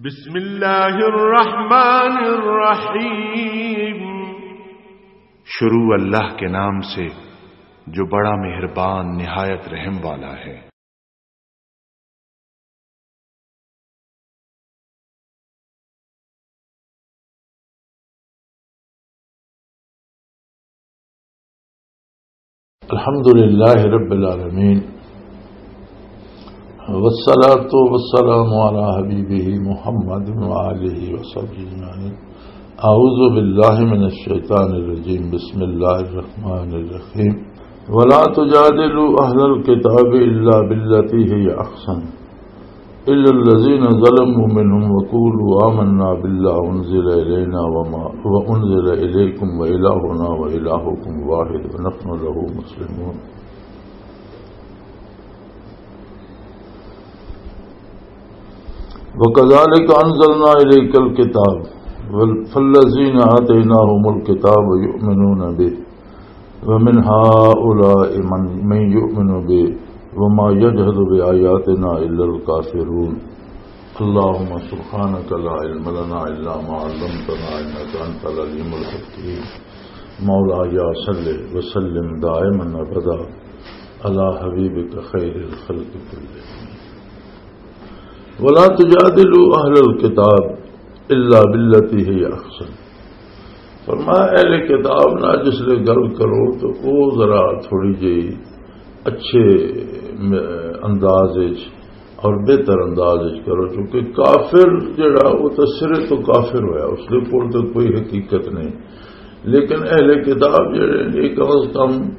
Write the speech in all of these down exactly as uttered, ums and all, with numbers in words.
بسم اللہ الرحمن الرحیم۔ شروع اللہ کے نام سے جو بڑا مہربان نہایت رحم والا ہے۔ الحمد لله رب العالمين، والصلاة والسلام على حبيبه محمد وآله وصحبه أجمعين. أعوذ بالله من الشيطان الرجيم. بسم الله الرحمن الرحيم. ولا تجادلوا أهل الكتاب إلا بالتي هي أحسن إلا الذين ظلموا منهم وقولوا آمنا بما أنزل إلينا وما وأنزل إليكم وإلهنا وإلهكم واحد ونحن له مسلمون. وكذلك أنزلنا إليك الكتاب فالذين آتيناهم الكتاب يؤمنون به ومن هؤلاء من، من يؤمن به وما يجحد بآياتنا إلا الكافرون. اللهم سبحانك لا علم لنا إلا ما علمتنا إنك أنت العليم الحكيم. مولاي صل وسلم دائما أبدا على حبيبك خير الخلق كلهم. ولا تجادلوا أهل الكتاب إلا بالتي هي أحسن. فرمایا، اہل کتاب نال جس لے گل کرو تو او ذرا تھوڑی جہی اچھے م-، انداز وچ اور بہتر انداز وچ کرو، کیونکہ کافر جڑا، وہ تو سرے تو کافر ہویا، اس دے کول تو کوئی حقیقت نہیں۔ لیکن اہل کتاب جڑے نے، کم از کم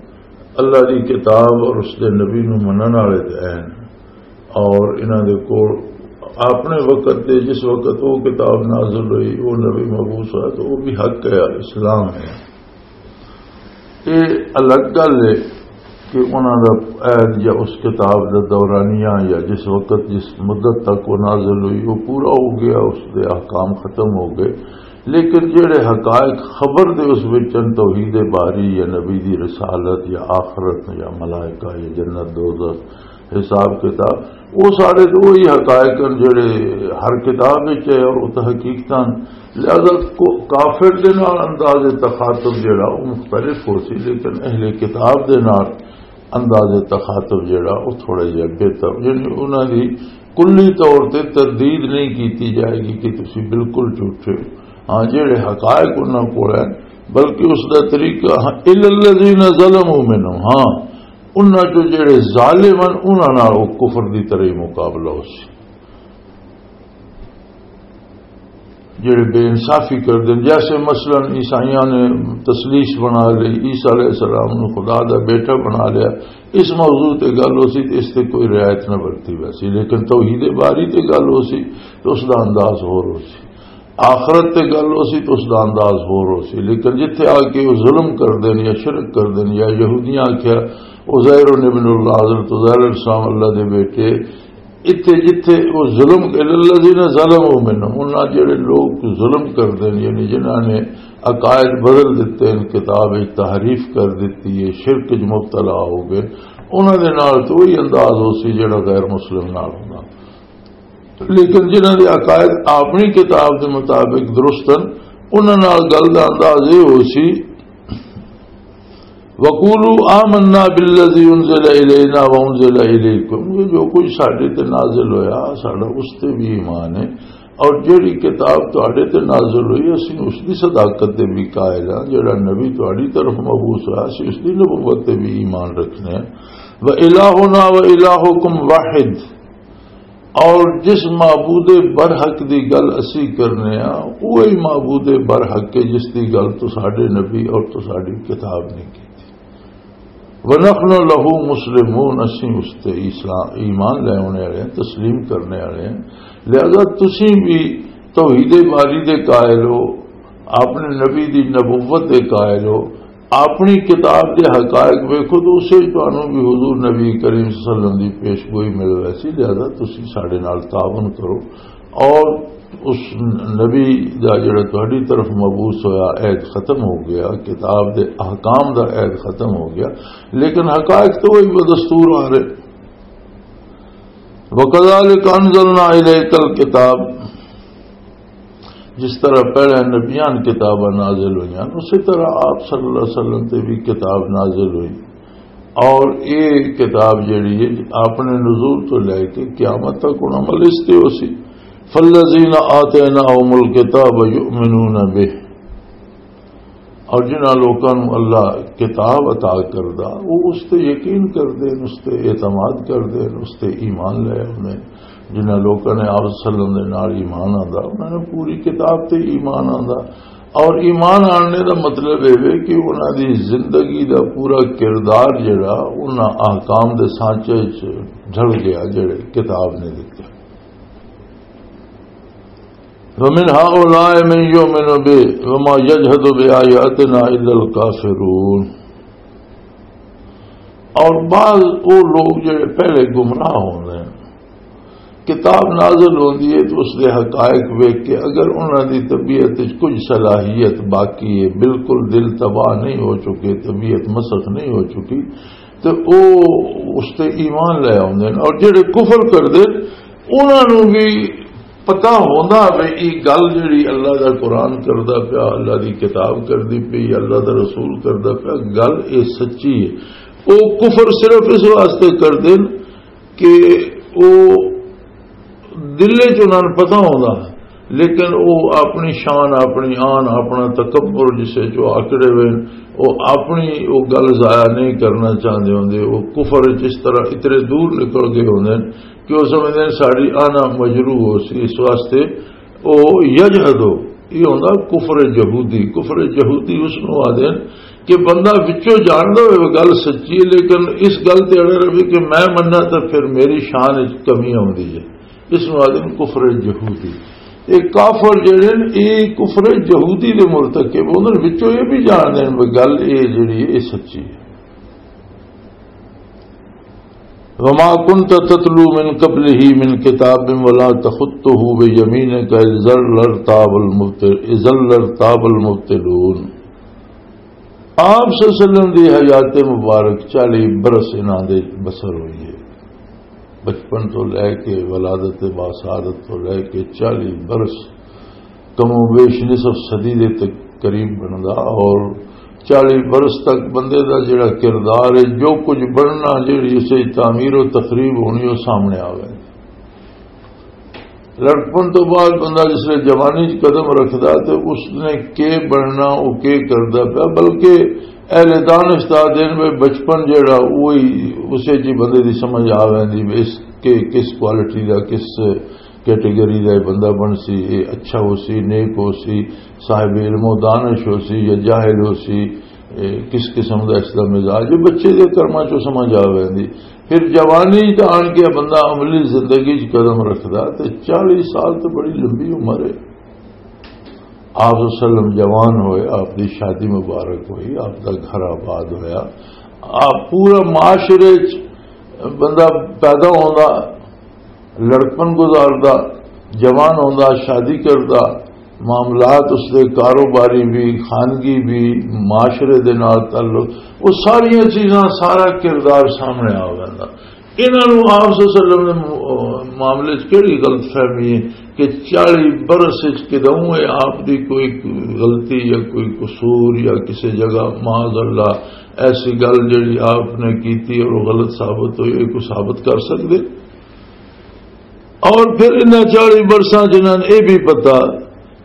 اللہ دی کتاب اور اس دے نبی نو منن والے تے ہیں، اور انہاں دے کول اپنے وقت تے، جس وقت وہ کتاب نازل ہوئی، وہ نبی مبعوث ہوا، تو وہ بھی حق ہے، اسلام ہے۔ یہ الگ گل ہے کہ انہاں دا عہد یا اس کتاب دا دورانیہ یا جس وقت، جس مدت تک وہ نازل ہوئی، وہ پورا ہو گیا، اس دے احکام ختم ہو گئے۔ لیکن جڑے حقائق خبر دے اس وچ ہن، توحید باری یا نبی دی رسالت یا آخرت یا ملائکہ یا جنت دوزخ، حساب کتاب، وہ سارے تو وہی حقائق ہیں جڑے ہر کتاب وچ ہے اور وہ تو حقیقتاً۔ لہذا کو-، کافر دے نال انداز تخاطب جڑا وہ مختلف ہو سی، لیکن اہل کتاب دے نال انداز تخاطب جڑا وہ تھوڑا جہا بہتر، یعنی انہاں دی کلی طور تے تردید نہیں کیتی جائے گی کہ تسی بالکل جھوٹے ہو۔ ہاں، جڑے حقائق انہاں کول ہیں، بلکہ اس دا طریقہ، ہاں، الا الذین ظلموا منهم، ہاں، انہاں چوں جڑے ظالم ہن، انہاں نال او کفر دی طرح ہی مقابلہ ہو سی۔ جڑے بے انصافی کر دین، جیسے مثلاً عیسائیاں نے تثلیث بنا لی، عیسیٰ علیہ السلام نو خدا دا بیٹا بنا لیا، اس موضوع تے گل ہو سی تے اس تے کوئی رعایت نہ برتی ویسی، لیکن توحید باری تے گل ہو سی تو اس دا انداز ہور ہو سی۔ آخرت تے گل ہو سی تو اس دا انداز ہور ہو سی، لیکن جتھے آ کے وہ ظلم کر دین یا شرک کر دین، یا یہودیاں آکھیا عزیر ابن اللہ، حضرت عزیر علیہ السلام اللہ دے بیٹے، اتھے جتھے وہ ظلم، الذین ظلموا منهم، انہاں جڑے لوگ ظلم کر دین، یعنی جنہاں نے عقائد بدل دیتے ہیں، کتاب وچ تحریف کر دیتی ہے، شرک وچ مبتلا ہو گئے، انہاں دے نال تو وہی انداز ہو سی جڑا غیر مسلم نال ہوندا۔ لیکن جنہاں دے عقائد اپنی کتاب دے مطابق درست ہن، انہاں نال گل دا انداز یہ ہو سی، "وقولوا آمنا بالذی انزل الینا وانزل الیکم"، یہ جو کچھ ساڈے تے نازل ہویا، ساڈا اس تے بھی ایمان ہے، اور جڑی کتاب تہاڈے تے نازل ہوئی، اسی اس دی صداقت تے بھی قائل ہاں، جڑا نبی تہاڈی طرف مبعوث ہویا، اسی اس دی نبوت تے بھی ایمان رکھنے ہیں۔ "وَإِلَٰهُنَا وَإِلَٰهُكُمْ وَاحِدٌ"، اور جس معبود برحق دی گل اسی کرنے ہاں، وہی معبود برحق ہے جس دی گل تو ساڈے نبی اور تو ساڈی کتاب نے کی۔ "وَنَحْنُ لَهُ مُسْلِمُونَ"، اسی اس تے اسلام، ایمان لے آنے والے ہیں، تسلیم کرنے والے ہیں۔ لہذا تسی بھی توحید باری دے قائل ہو، اپنے نبی دی نبوت دے قائل ہو، اپنی کتاب دے حقائق ویکھو تو اسے وچ تانوں بھی حضور نبی کریم صلی اللہ علیہ وسلم دی پیش گوئی مل ویسی، لہذا تسی ساڈے نال تعاون کرو۔ اور اس نبی دا جڑا تہاڈی طرف مبعوث ہویا، عہد ختم ہو گیا، کتاب دے احکام دا عہد ختم ہو گیا، لیکن حقائق تو وہی بدستور آ رہے۔ "وَكَذَلِكَ أَنزَلْنَا إِلَيْكَ الْكِتَابَ"، جس طرح پہلے نبیان کتاباں نازل ہوئیاں، اسی طرح آپ صلی اللہ علیہ وسلم تے بھی کتاب نازل ہوئی۔ اور یہ کتاب جڑی ہے، اپنے نزول تو لے کے قیامت تک انہاں عمل اس تے ہو سی۔ فالذین آتیناہم الکتاب یؤمنون بہ، اور جنہاں لوکاں نوں اللہ کتاب عطا کردا، وہ اس تے یقین کردے نے، اس تے اعتماد کردے نے، اس تے ایمان لے آوندے نے۔ جنہاں لوکاں نے آپ صلی اللہ علیہ وسلم دے نال ایمان آندا، انہاں نے پوری کتاب تے ایمان آندا۔ اور ایمان آنے دا مطلب اے وے کہ انہاں دی زندگی دا پورا کردار جڑا انہاں احکام دے سانچے وچ ڈھل گیا، جڑے کتاب نے دتے۔ وَمِنْ هَٰؤُلَاءِ مَنْ يُؤْمِنُ بِهِ وَمَا يَجْحَدُ بِآيَاتِنَا إِلَّا الْكَافِرُونَ۔ اور بعض وہ لوگ جڑے پہلے گمراہ ہوندے ہیں، کتاب نازل ہوندی ہے تو اس دے حقائق ویکھ کے اگر انہاں دی طبیعت وچ کچھ صلاحیت باقی ہے، بالکل دل تباہ نہیں ہو چکے، طبیعت مسخ نہیں ہو چکی، تو وہ اس تے ایمان لے آوندے ہیں۔ اور جڑے کفر کردے، انہاں نوں بھی پتہ ہوندا وے، یہ گل جڑی اللہ دا قرآن کردا پیا، اللہ دی کتاب کردی پئی، اللہ دا رسول کردا پیا، گل یہ سچی ہے۔ وہ کفر صرف اس واسطے کردے نے کہ وہ دل وچ انہاں نوں پتہ ہوندا، لیکن وہ اپنی شان، اپنی آن، اپنا تکبر جسے جو آکڑے ہوئے نے، وہ اپنی وہ گل ضائع نہیں کرنا چاہندے ہوندے۔ وہ کفر وچ اس طرح اتنے دور نکل گئے ہوندے نے کہ وہ سمجھدے نے ساڈی آنا مجروح ہو سی، اس واسطے او یجحدو، یہ ہوندا کفر یہودی۔ کفر یہودی اس نوں آدھے نے کہ بندہ وچوں جاندا ہوئے وہ گل سچی ہے، لیکن اس گل تے اڑے رہے کہ میں مننا تو پھر میری شان وچ کمی آوندی ہے، اس نوں آدھے نے کفر یہودی۔ یہ کافر جڑے نے، یہ کفر یہودی دے مرتکب ہوندے نے، وچوں یہ بھی جانتے ہیں وہ گل یہ جڑی ہے، یہ سچی ہے۔ وما كنت تتلو من قبله من كتاب ولا تخطه بيمينك إذا لارتاب المبطل-، إذا لارتاب المبطلون۔ آپ صلی اللہ علیہ وسلم دی حیات مبارک چالیس برس انہاں دے بسر ہوئی ہے۔ بچپن تو لے کے، ولادت باسعادت تو لے کے چالیس برس، کم و بیش نصف صدی دے تک قریب بندا، اور چالیس برس تک بندے دا جڑا کردار ہے، جو کچھ بننا، جڑی اسے تعمیر و تخریب ہونی، وہ سامنے آ گئے۔ لڑکپن تو بعد بندہ جس لے جوانی چ قدم رکھدا تے اس نے کے بننا، وہ کے کردا پیا، بلکہ اہل دانش دا دن میں بچپن جڑا وہی اسے جی بندے دی سمجھ آ ویندی، اس کے کس کوالٹی دا، کس کیٹیگری دا یہ بندہ بن سی، یہ اچھا ہو سی، نیک ہو سی، صاحب علم و دانش ہو سی یا جاہل ہو سی، اے کس قسم دا اس دا مزاج ہے، بچے دے کرماں چوں سمجھ آ ویندی۔ پھر جوانی تے آن کے بندہ عملی زندگی چ قدم رکھدا تے چالیس سال تے بڑی لمبی عمر ہے۔ آپ صلی اللہ علیہ وسلم جوان ہوئے، آپ دی شادی مبارک ہوئی، آپ دا گھر آباد ہویا، آپ پورا معاشرے چ بندہ پیدا ہوندا، لڑکپن گزاردا، جوان ہوندا، شادی کردا، معاملات اس دے کاروباری بھی، خانگی بھی، معاشرے دے نال تعلق، وہ ساریاں چیزاں، سارا کردار سامنے آ ویندا۔ انہاں نوں آپ صلی اللہ علیہ وسلم دے م-، معاملے چ کیڑی غلط فہمی ہے کہ چالیس برس وچ کدوں ہے آپ دی کوئی غلطی یا کوئی قصور یا کسی جگہ معاذ اللہ ایسی گل جڑی آپ نے کیتی اور وہ غلط ثابت ہوئی، یہ کوئی ثابت کر سکدے؟ اور پھر انہاں چالیس برساں جنہاں نے یہ بھی پتا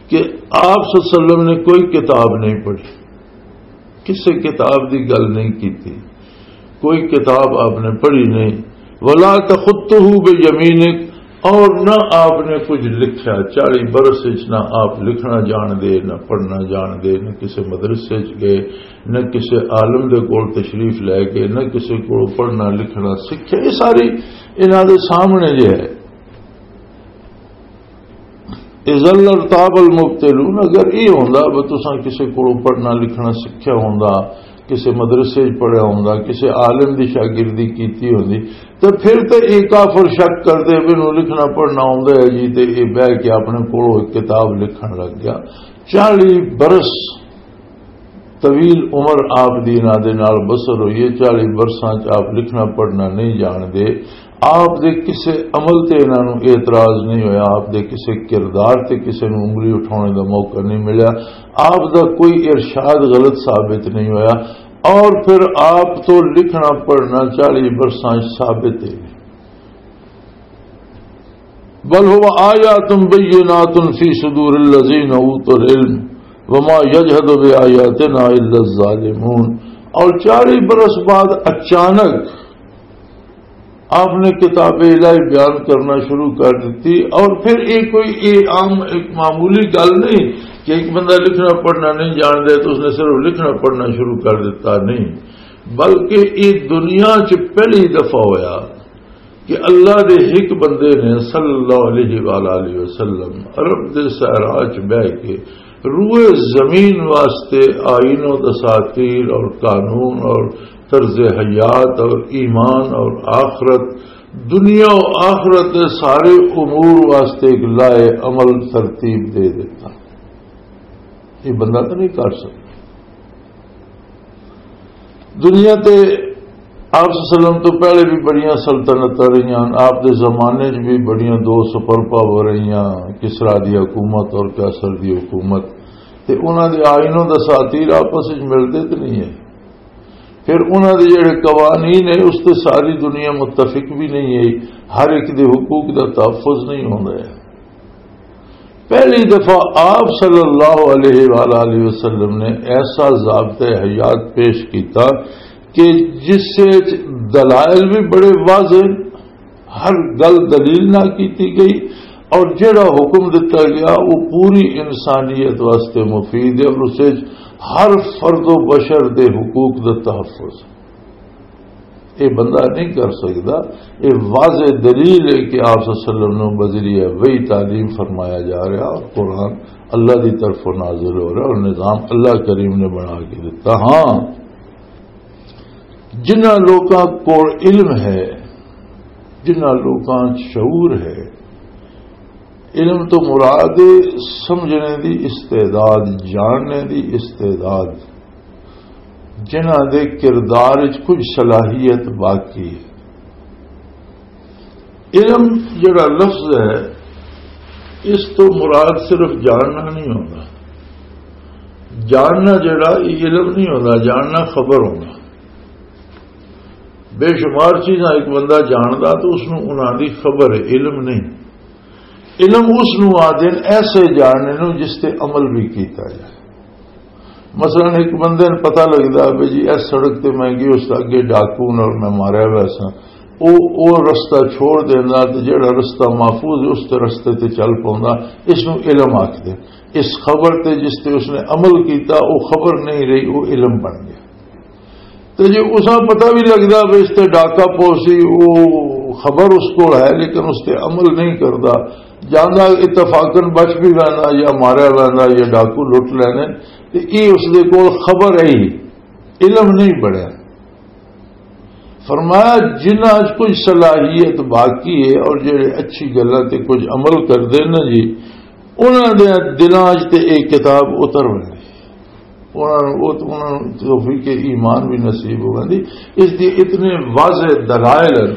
کہ آپ صلی اللہ علیہ وسلم نے کوئی کتاب نہیں پڑھی، کسی کتاب دی گل نہیں کیتی، کوئی کتاب آپ نے پڑھی نہیں۔ ولا تخطه بيمينك، اور نہ آپ نے کچھ لکھیا۔ چالیس برس وچ نہ آپ لکھنا جان دے، نہ پڑھنا جان دے، نہ کسی مدرسے وچ گئے، نہ کسی عالم دے کول تشریف لے گئے، نہ کسی کول پڑھنا لکھنا سکھیا۔ یہ ساری انہاں دے سامنے جے ہے۔ اذا لارتاب المبطلون، اگر یہ ہوندا وہ تساں کسی کولوں پڑھنا لکھنا سکھیا ہوندا، کسی مدرسے وچ پڑھیا ہوندا، کسی عالم دی شاگردی کیتی ہوندی، تے پھر تے یہ کافر شک کردے بھی نوں لکھنا پڑھنا ہوندا ہے جی، تے یہ بہ کے اپنے کولوں ایک کتاب لکھن لگ گیا۔ چالیس برس طویل عمر آپ دی انہاں دے نال بسر ہوئی ہے، چالیس برساں چ آپ لکھنا پڑھنا نہیں جان دے۔ آپ دے کسے عمل تے انہاں نوں اعتراض نہیں ہویا، آپ دے کسے کردار تے کسے نوں انگلی اٹھانے دا موقع نہیں ملیا، آپ دا کوئی ارشاد غلط ثابت نہیں ہویا، اور پھر آپ تو لکھنا پڑھنا چالیس برساں وچ ثابت ہے۔ بل هو آیات بینات فی صدور الذین اوتوا العلم وما یجحد بآیاتنا الا الظالمون۔ اور چالیس برس بعد اچانک آپ نے کتاب الہی بیان کرنا شروع کر دیتی، اور پھر یہ کوئی یہ عام ایک معمولی گل نہیں کہ ایک بندہ لکھنا پڑھنا نہیں جان دے تو اس نے صرف لکھنا پڑھنا شروع کر دیتا، نہیں، بلکہ یہ دنیا چ پہلی دفعہ ہویا کہ اللہ دے ایک بندے نے صلی اللہ علیہ وآلہ وسلم عرب دے صحرا چ بہ کے روئے زمین واسطے آئین و دساتیر اور قانون اور طرز حیات اور ایمان اور آخرت، دنیا و آخرت دے سارے امور واسطے ایک لائے عمل ترتیب دے دیتا۔ یہ بندہ تو نہیں کر سکتا۔ دنیا تے آپ صلی اللہ علیہ وسلم تو پہلے بھی بڑیاں سلطنتاں رہیاں، آپ دے زمانے چ بھی بڑیاں دو سپر پاور رہیاں، کسرا دی حکومت اور قیصر دی حکومت، تے انہاں دے آئین و دساتیر آپس وچ ملدے تے نہیں ہے۔ پھر انہاں دے جڑے قوانین ہیں، اس تے ساری دنیا متفق بھی نہیں ہے، ہر ایک دے حقوق دا تحفظ نہیں ہوندا ہے۔ پہلی دفعہ آپ صلی اللہ علیہ وآلہ وسلم نے ایسا ضابطۂ حیات پیش کیتا کہ جس سے دلائل بھی بڑے واضح، ہر گل دلیل نہ کیتی گئی، اور جڑا حکم دتا گیا وہ پوری انسانیت واسطے مفید ہے، اور اس وچ ہر فرد و بشر دے حقوق دا تحفظ۔ یہ بندہ نہیں کر سکتا۔ یہ واضح دلیل ہے کہ آپ صلی اللہ علیہ وسلم نو بذریعہ وحی تعلیم فرمایا جا رہا، اور قرآن اللہ دی طرف نازل ہو رہا، اور نظام اللہ کریم نے بنا کے دیتا۔ ہاں، جنہاں لوکاں کول علم ہے، جنہاں لوکاں شعور ہے، علم تو مراد سمجھنے دی استعداد، جاننے دی استعداد، جنہاں دے کردار وچ کچھ صلاحیت باقی ہے۔ علم جڑا لفظ ہے، اس تو مراد صرف جاننا نہیں ہوتا۔ جاننا جڑا، یہ علم نہیں ہوتا، جاننا خبر ہونا۔ بے شمار چیزاں ایک بندہ جاندا تو اس نوں انہاں دی خبر ہے، علم نہیں۔ علم اس نوں آدھے نے ایسے جاننے نوں جس تے عمل بھی کیتا جائے۔ مثلاً ایک بندے نوں پتہ لگدا بھی جی، اس سڑک تے میں گیا، اس اگے ڈاکو نال میں ماریا ہوا سا، او او رستہ چھوڑ دیندا تے جڑا رستہ محفوظ ہے، اس تے رستے تے چل پوندا۔ اس نوں علم آکھدے۔ اس خبر تے جس تے اس نے عمل کیتا، او خبر نہیں رہی، او علم بن گیا۔ تے جے اساں پتہ بھی لگدا بھی اس تے ڈاکا پوسی، او خبر اس کول ہے، لیکن اس تے عمل نہیں کردا، جاندا اتفاقاً بچ بھی ویندا یا ماریا ویندا یا ڈاکو لٹ لینے، تے اے اس دے کول خبر ہے ہی، علم نہیں بڑھیا۔ فرمایا، جنہاں اچ کچھ صلاحیت باقی ہے اور جڑے اچھی گلاں تے کچھ عمل کردے نا جی، انہاں دے دلاں اچ تے اے کتاب اتر ویندی، انہاں نوں، انہاں نوں توفیق ایمان بھی نصیب ہو ویندی۔ اس دی اتنے واضح دلائل ہیں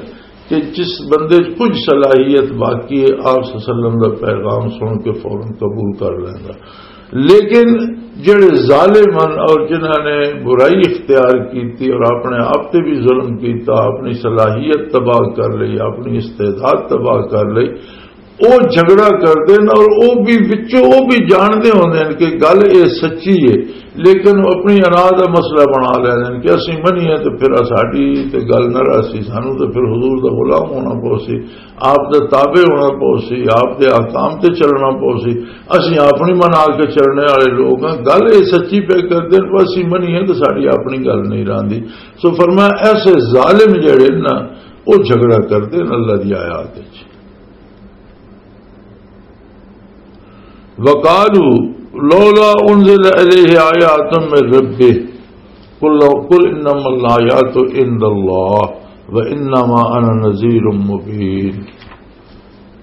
کہ جس بندے اچ کچھ صلاحیت باقی ہے، آپ صلی اللہ علیہ وسلم دا پیغام سن کے فوراً قبول کر لیندا۔ لیکن جڑے ظالم ہیں اور جنہاں نے برائی اختیار کیتی اور اپنے آپ تے بھی ظلم کیتا، اپنی صلاحیت تباہ کر لئی، اپنی استعداد تباہ کر لئی، او جھگڑا کردے نے اور او بھی وچوں او بھی جاندے ہوندے نے کہ گل اے سچی ہے، لیکن او اپنی انا دا مسئلہ بنا لیندے نے کہ اسی منیے تے پھر ساڈی تے گل نہ رہسی، سانوں تے پھر حضور دا غلام ہونا پوسی، آپ دے تابع ہونا پوسی، آپ دے احکام تے چلنا پوسی۔ اسی اپنی منا کے چلنے والے لوگ ہاں، گل اے سچی پہ کردے نے، پر اسی منیے تے ساڈی اپنی گل نہیں راندی۔ سو فرمایا، ایسے ظالم جڑے نا، او جھگڑا کردے نے اللہ دی آیات وچ۔ وقالوا لولا انزل الیہ آیات من ربہ، قل لو، قل انما الآیات عند اللہ وانما انا نذیر مبین۔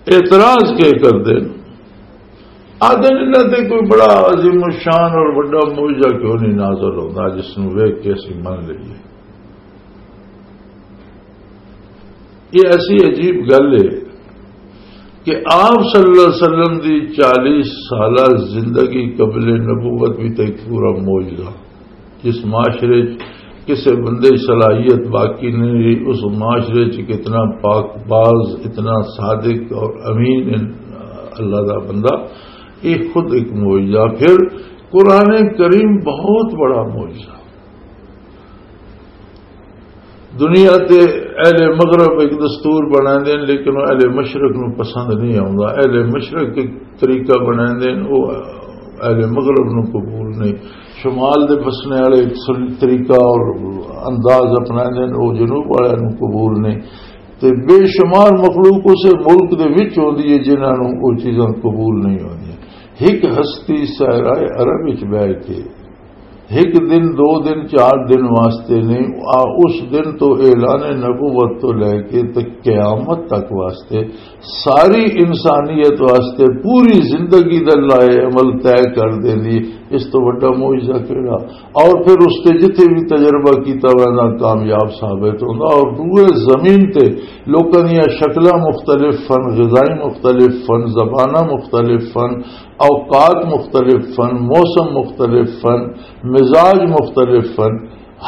اعتراض کے کردے؟ آدھے انہاں تے کوئی بڑا عظیم الشان اور بڑا معجزہ کیوں نہیں نازل ہوندا جس نوں ویکھ کے اسی من لئیے؟ یہ ایسی عجیب گل ہے کہ آپ صلی اللہ علیہ وسلم دی چالیس سالہ زندگی قبل نبوت بھی تو ایک پورا معجزہ۔ جس معاشرے چ کسے بندے دی صلاحیت باقی نہیں رہی، اس معاشرے چ کتنا پاک باز، اتنا صادق اور امین ان-، اللہ دا بندہ، یہ خود ایک معجزہ۔ پھر قرآن کریم بہت بڑا معجزہ۔ دنیا تے اہل مغرب ایک دستور بناندے نے، لیکن وہ اہل مشرق نو پسند نہیں آوندا۔ اہل مشرق ایک طریقہ بناندے نے، وہ اہل مغرب نو قبول نہیں۔ شمال دے بسنے والے ایک سن-، طریقہ اور انداز اپناندے نے، وہ جنوب والے نو قبول نہیں۔ تے بے شمار مخلوق اسے ملک دے وچ ہوندی ہے جنہاں نو وہ چیزاں قبول نہیں ہوندیاں۔ ایک ہستی صحرائے عرب وچ بیٹھ کے ایک دن، دو دن، چار دن واسطے نہیں، آ، اس دن تو اعلان نبوت تو لے کے تے قیامت تک واسطے، ساری انسانیت واسطے پوری زندگی دا لائے عمل طے کر دیندی۔ اس تو وڈا معجزہ کیڑا؟ اور پھر اس تے جتھے بھی تجربہ کیتا ویندا، کامیاب ثابت ہوندا۔ اور روئے زمین تے لوکاں دیاں شکلاں مختلف فن، غذائیں مختلف فن، زباناں مختلف فن، اوقات مختلف فن، موسم مختلف فن، مزاج مختلف فن،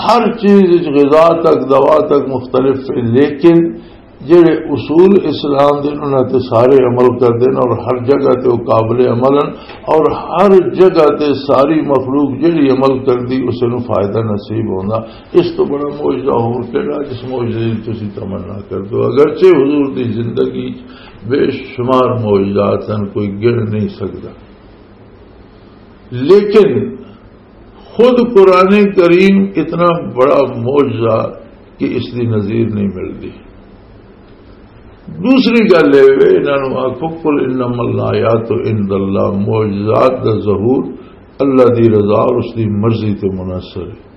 ہر چیز وچ، غذا تک، دوا تک مختلف ہے، لیکن جڑے اصول اسلام دے انہاں تے سارے عمل کردے نے اور ہر جگہ تے وہ قابل عمل ہیں اور ہر جگہ تے ساری مخلوق جڑی عمل کردی اسے نوں فائدہ نصیب ہوندا۔ اس تو بڑا معجزہ ہور کیڑا جس معجزے دی تسی تمنا کر دو؟ اگرچہ حضور دی زندگی بے شمار معجزات ہیں، کوئی گن نہیں سکدا، لیکن خود قرآن کریم اتنا بڑا معجزہ کہ اس دی نظیر نہیں ملدی۔ دوسری گل یہ وے، انہاں نوں آکھو، "قل انما الآیات عند اللہ"، معجزات دا ظہور اللہ دی رضا اور اس دی مرضی تے منحصر ہے۔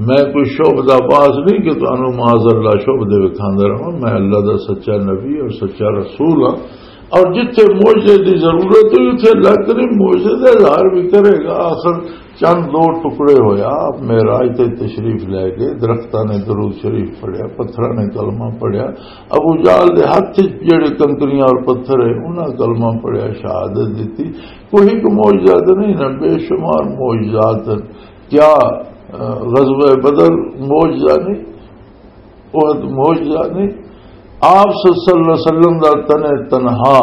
میں کوئی شعبدہ باز نہیں کہ تانوں معاذ اللہ شعبدے وکھاندا رہاں۔ میں اللہ دا سچا نبی اور سچا رسول ہاں۔ اور جتھے معجزے دی ضرورت ہوئی، اتھے اللہ کریم معجزے دا اظہار بھی کرے گا۔ آخر چند دو ٹکڑے ہویا، آپ معراج تے تشریف لے گئے، درختاں نے درود شریف پڑھیا، پتھراں نے کلمہ پڑھیا، ابو جہل دے ہاتھ وچ جڑے کنکریاں اور پتھر ہے، انہاں کلمہ پڑھیا، شہادت دتی۔ کوئی ایک معجزہ تو نہیں نا، بے شمار معجزات ہیں۔ کیا، آ، غزوہ بدر معجزہ نہیں؟ احد معجزہ نہیں؟ آپ صلی اللہ علیہ وسلم دا تن تنہا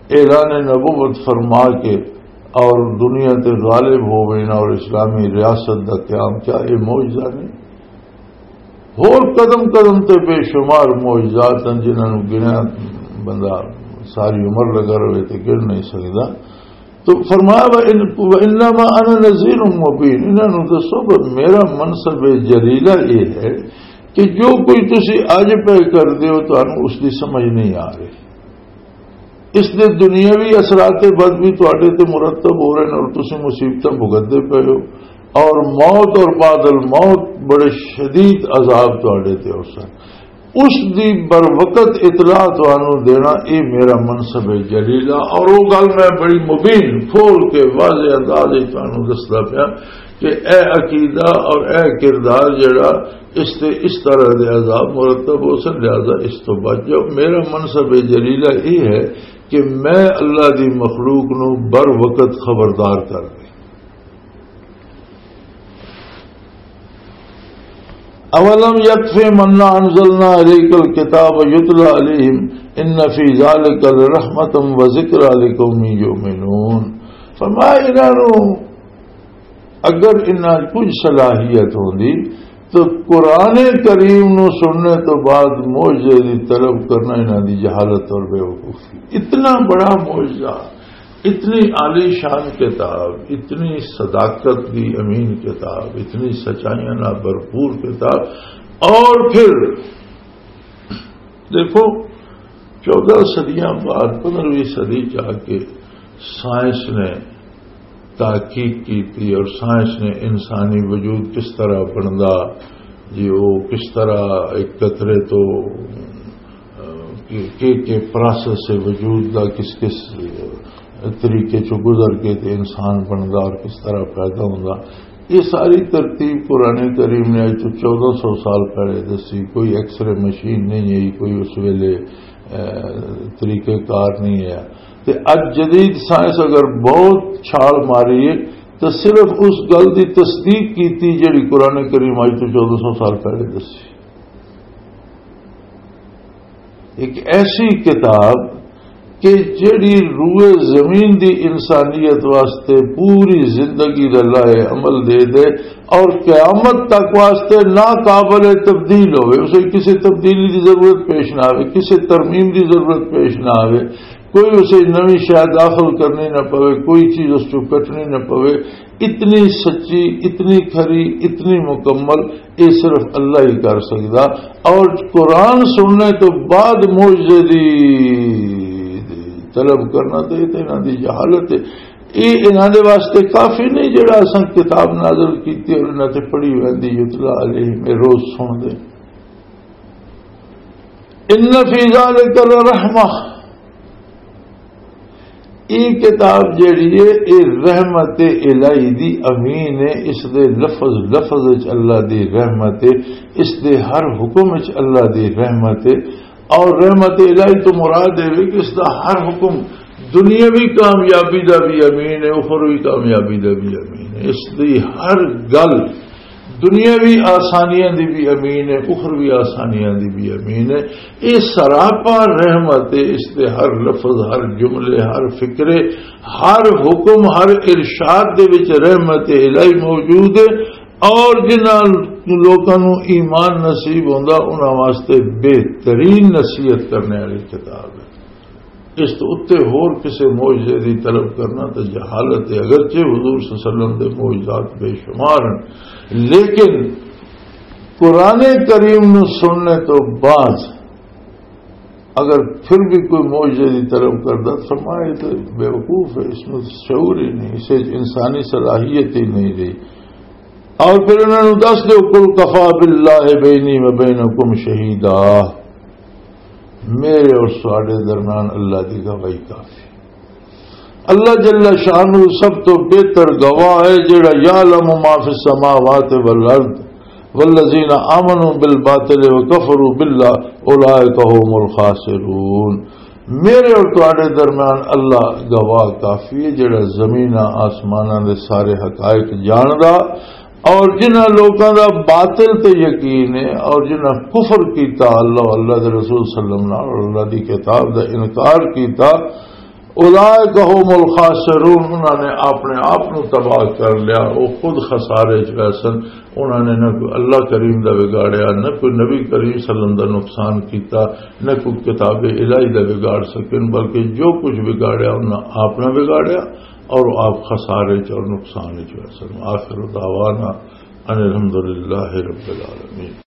اعلان نبوت فرما کے اور دنیا تے غالب ہو گئے نا اور اسلامی ریاست دا قیام، کیا یہ معجزہ نہیں؟ ہور قدم قدم تے بے شمار معجزات ہیں جنہاں نوں گنیا بندہ ساری عمر لگا رہے تے گن نہیں سکدا۔ تو فرمایا، "وَإِن-، وَإِنَّمَا أَنَا نَذِيرٌ مُّبِينٌ"، انہاں نوں دسو، پر میرا منصب جلیلہ یہ ہے کہ جو کوئی تسی اج پہ کر دیو، تانوں اس دی سمجھ نہیں آ رہی۔ اس دے دنیاوی اثرات بد بھی تواڈے تے مرتب ہو رہے ہیں اور تسی مصیبتاں بھگتدے پئے ہو، اور موت اور بعد الموت بڑے شدید عذاب تواڈے تے ہو سن۔ اس دی بر وقت اطلاع تانوں دینا، اے میرا منصب ہے جلیلہ۔ اور وہ گل میں بڑی مبین کھول کے واضح انداز وچ تانوں دسدا پیا کہ اے عقیدہ اور اے کردار جڑا اس تے اس طرح دے عذاب مرتب ہو سن، لہذا اس تو بچ جاؤ۔ میرا منصب جلیلہ یہ ہے کہ میں اللہ دی مخلوق نو بر وقت خبردار کر دے۔ اولم یکفہم انا انزلنا الیک الکتاب یتلی علیہم ان فی ذلک لرحمۃ و ذکری لقوم یؤمنون۔ فرمایا، انہاں نو اگر انہاں کچھ صلاحیت ہوندی تو قرآن کریم نو سننے تو بعد معجزے دی طلب کرنا انہاں دی جہالت اور بے وقوفی۔ اتنا بڑا معجزہ، اتنی عالی شان کتاب، اتنی صداقت دی امین کتاب، اتنی سچائیاں نال بھرپور کتاب، اور پھر دیکھو، چودہ صدیاں بعد، پندرہویں صدی چ آ کے سائنس نے تحقیق کی تھی اور سائنس نے انسانی وجود کس طرح بندا، جی، وہ کس طرح ایک قطرے تو، آ، کے، کے، کے پروسیس سے وجود دا کس کس طریقے چ گزر کے تے انسان بندا اور کس طرح پیدا ہوندا۔ یہ ساری ترتیب قرآن کریم نے اج تو چودہ سو سال پہلے دسی۔ کوئی ایکس رے مشین نہیں ہے، کوئی اس ویلے، اے، طریقہ کار نہیں ہے۔ تے اج جدید سائنس اگر بہت چھال ماری ہے تو صرف اس گل دی تصدیق کیتی جڑی قرآن کریم اج تو چودہ سو سال پہلے دسی۔ ایک ایسی کتاب کہ جڑی روئے زمین دی انسانیت واسطے پوری زندگی دا لائے عمل دے دے اور قیامت تک واسطے ناقابل تبدیل ہوئے، اسے کسی تبدیلی دی ضرورت پیش نہ آوے، کسی ترمیم دی ضرورت پیش نہ آوے، کوئی اسے نوی شے داخل کرنی نہ پوے، کوئی چیز اس چوں کٹنی نہ پوے۔ اتنی سچی، اتنی کھری، اتنی مکمل، یہ صرف اللہ ہی کر سکدا۔ اور قرآن سننے تو بعد معجزے دی طلب کرنا تو یہ تو انہاں دی جہالت ہے۔ یہ انہاں دے واسطے کافی نہیں جڑا اساں کتاب نازل کیتی اور انہاں تے پڑھی ویندی، یتلا علیہم، یہ روز سن دے۔ ان فی ذلک لرحمہ، یہ کتاب جیڑی ہے، یہ رحمت الہی دی امین ہے۔ اس دے لفظ لفظ وچ اللہ دی رحمت ہے، اس دے ہر حکم وچ اللہ دی رحمت ہے۔ اور رحمت الہی تو مراد ہے کہ اس دا ہر حکم دنیاوی کامیابی دا بھی امین ہے، اخروی کامیابی دا بھی امین ہے۔ اس دی ہر گل دنیاوی آسانیاں دی بھی امین ہے، اخروی آسانیاں دی بھی امین ہے۔ یہ سراپا رحمت ہے، اس دے ہر لفظ، ہر جملے، ہر فکرے، ہر حکم، ہر ارشاد دے وچ رحمت الہی موجود ہے۔ اور جنہاں لوکاں نوں ایمان نصیب ہوندا، انہاں واسطے بہترین نصیحت کرنے والی کتاب ہے۔ اس تو اتے ہور کسے معجزے دی طلب کرنا تے جہالت ہے، اگرچہ حضور صلی اللہ علیہ وسلم دے معجزات بے شمار ہیں، لیکن قرآن کریم نو سننے تو بعد اگر پھر بھی کوئی معجزے دی طلب کردا، فرمایا، یہ تو بیوقوف ہے، اس میں شعور ہی نہیں، اسے انسانی صلاحیت ہی نہیں رہی۔ اور پھر انہاں نوں دس دیو، "قل کفی باللہ بینی و بینکم شہیدا"، میرے اور تہاڈے درمیان اللہ دی گواہی کافی۔ اللہ جل شانہ سب تو بہتر گواہ ہے، جڑا یعلم ما فی السماوات والارض، والذین آمنوا بالباطل وکفروا باللہ اولئک هم الخاسرون۔ میرے اور تہاڈے درمیان اللہ گواہ کافی ہے، جڑا زمیناں آسماناں دے سارے حقائق جاندا، اور جنہاں لوکاں دا باطل تے یقین ہے اور جنہاں کفر کیتا اللہ، اللہ دے رسول صلی اللہ علیہ وسلم نال اور اللہ دی کتاب دا انکار کیتا، اولئک هم الخاسرون، انہاں نے اپنے آپ نو تباہ کر لیا، وہ خود خسارے چ ویسن۔ انہاں نے نہ کوئی اللہ کریم دا بگاڑیا، نہ کوئی نبی کریم صلی اللہ علیہ وسلم دا نقصان کیتا، نہ کوئی کتاب الہی دا بگاڑ سکن، بلکہ جو کچھ بگاڑیا انہاں آپ نہ بگاڑیا، اور آپ خسارے چ اور نقصان چ ویسن۔ آخر دعوانا ان الحمدللہ رب العالمین۔